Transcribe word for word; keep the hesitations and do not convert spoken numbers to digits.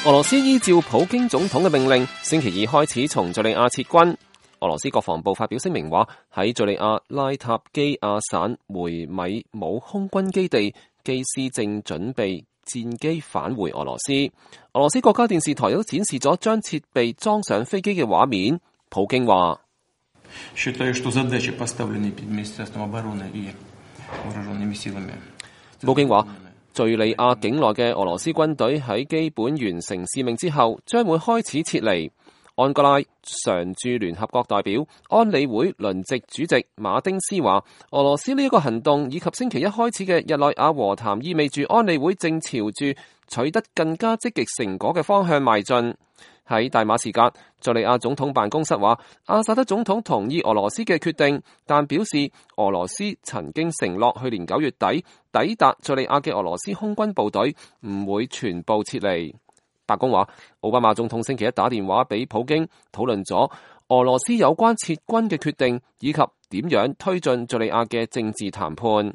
俄羅斯依照普京總統嘅命令，星期二開始從敘利亞撤軍。俄羅斯國防部發表聲明話，喺敘利亞拉塔基亞省梅米姆空軍基地，機師正準備戰機返回俄羅斯。俄羅斯國家電視台亦都展示咗將設備裝上飛機嘅畫面。普京話：普京話，敘利亞境內嘅俄羅斯軍隊喺基本完成使命之後，將會開始撤離。安哥拉常駐聯合國代表、安理會輪值主席馬丁斯話，俄羅斯呢一個行動以及星期一開始嘅日內瓦和談，意味住安理會正朝住取得更加積極成果嘅方向邁進。喺大馬士革，敘利亞總統辦公室話，阿薩德總統同意俄羅斯嘅決定，但表示俄羅斯曾經承諾去年九月底抵達敘利亞嘅俄羅斯空軍部隊唔會全部撤離。白宮話，奧巴馬總統星期一打電話俾普京，討論咗俄羅斯有關撤軍嘅決定，以及點樣推進敘利亞嘅政治談判。